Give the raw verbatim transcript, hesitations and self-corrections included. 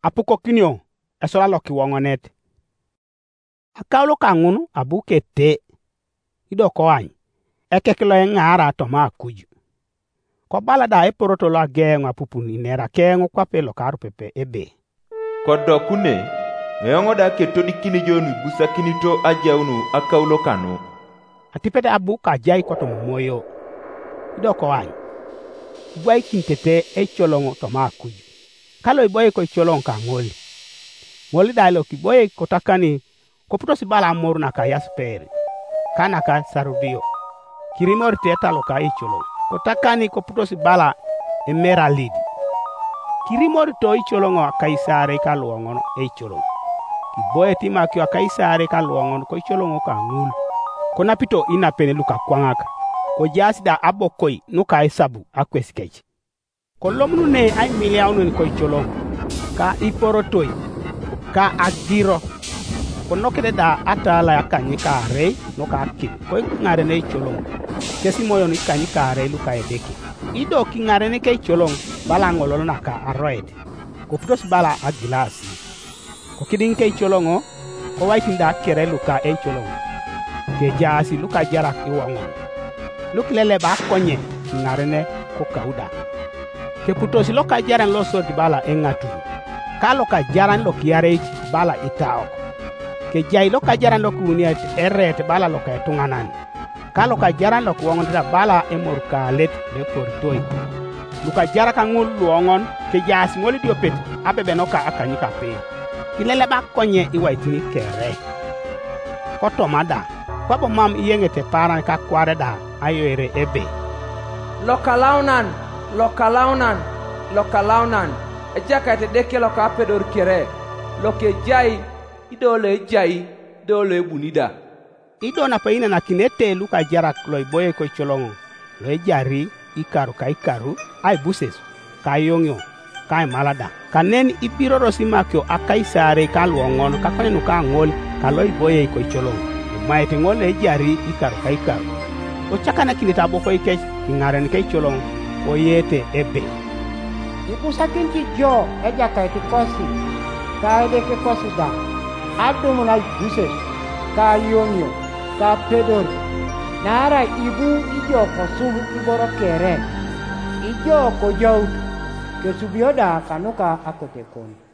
apukokinio esola lokiwoŋonet. Akaulo kaŋun abu kete, ido koany, ekek loeŋaara toma akuj. Kobala da eporoto loageoŋ apupun inera keoŋ kwape lokarupepe ebe, "Kodokune, eoŋ da ketodikin jo nuibusakinito ajaun akaulo kanu." Atipet abu kajai kotoma moyo, ido koany, ibwaikinitete eicoloŋ toma akuj, ka loiboe koicoloŋ kaŋol. Ŋol da lokiboe kotakani koputos bala amoru naka yasper, ka naka sarudio, kirimorit etaluka eicoloŋ, kotakani koputos bala emeralid. Kirimorito eicoloŋ akaisaarei kaluoŋon eicoloŋ, kiboet imakio akaisaarei kaluoŋon koicoloŋ kaŋul, konapito inapen lukakwaŋak, kojaas da abokoi nuka esabu akwes kec. Kolomunune aimiliaunen koicoloŋ, ka iporotoi, ka agiro. Konokit da atala akanykaarei nuka akim koiŋaren eicoloŋ, kes imoyon ikanykaarei luka Edeke. Ido kiŋarenik eicoloŋ bala aŋolol naka aroet, koputos bala agilas. Kokidiŋ keicoloŋo, kowaitin da kere luka eicoloŋo, kejaas lukajarak iwoŋon, lukileleba akonye kiŋarene kokauda. Keputos lokajaran losodit bala eŋatur, ka lokajaran lokiareit bala itaok. Kejai lokajaran lokiuniet ereet bala loka etuŋanan, ka lokajaran lokiwoŋonit bala emorukaalet loeporitoi. Lukajarak ŋul luoŋon kejaas ŋol idiopet abebenoka akanykape, kileleba konye iwaitin kere. Kotoma da, kwabo mam iyeŋete paaran kakwaare da ayoere ebe, "Lokalaunan, lokalaunan, lokalaunan, Ejakait Edeke lokapedor kere, lokejai, ido loejai, ido loebuni da." Ido nape inanakinete lukajarak loiboie koicoloŋo, loejari ikaru ka ikaru, aibuses, ka ayoŋio, ka aimalada, kanen ibirorosi makio akaisaarei kaluoŋon kakonyen nuka ŋol kaloiboie koicoloŋ, imaete ŋol loejari ikaru ka ikaru. Kocakanakinete abokoikec kiŋaren keicoloŋ, koyeete ebe, "Ibusakinit jo ejakait kosi, ka Edeke kosi da, adumun aibuses, ka ayoŋio, ka apedor, naarai ibu ijo kosub iboro kere, ijo kojaut, kesubio da kanuka akote kon."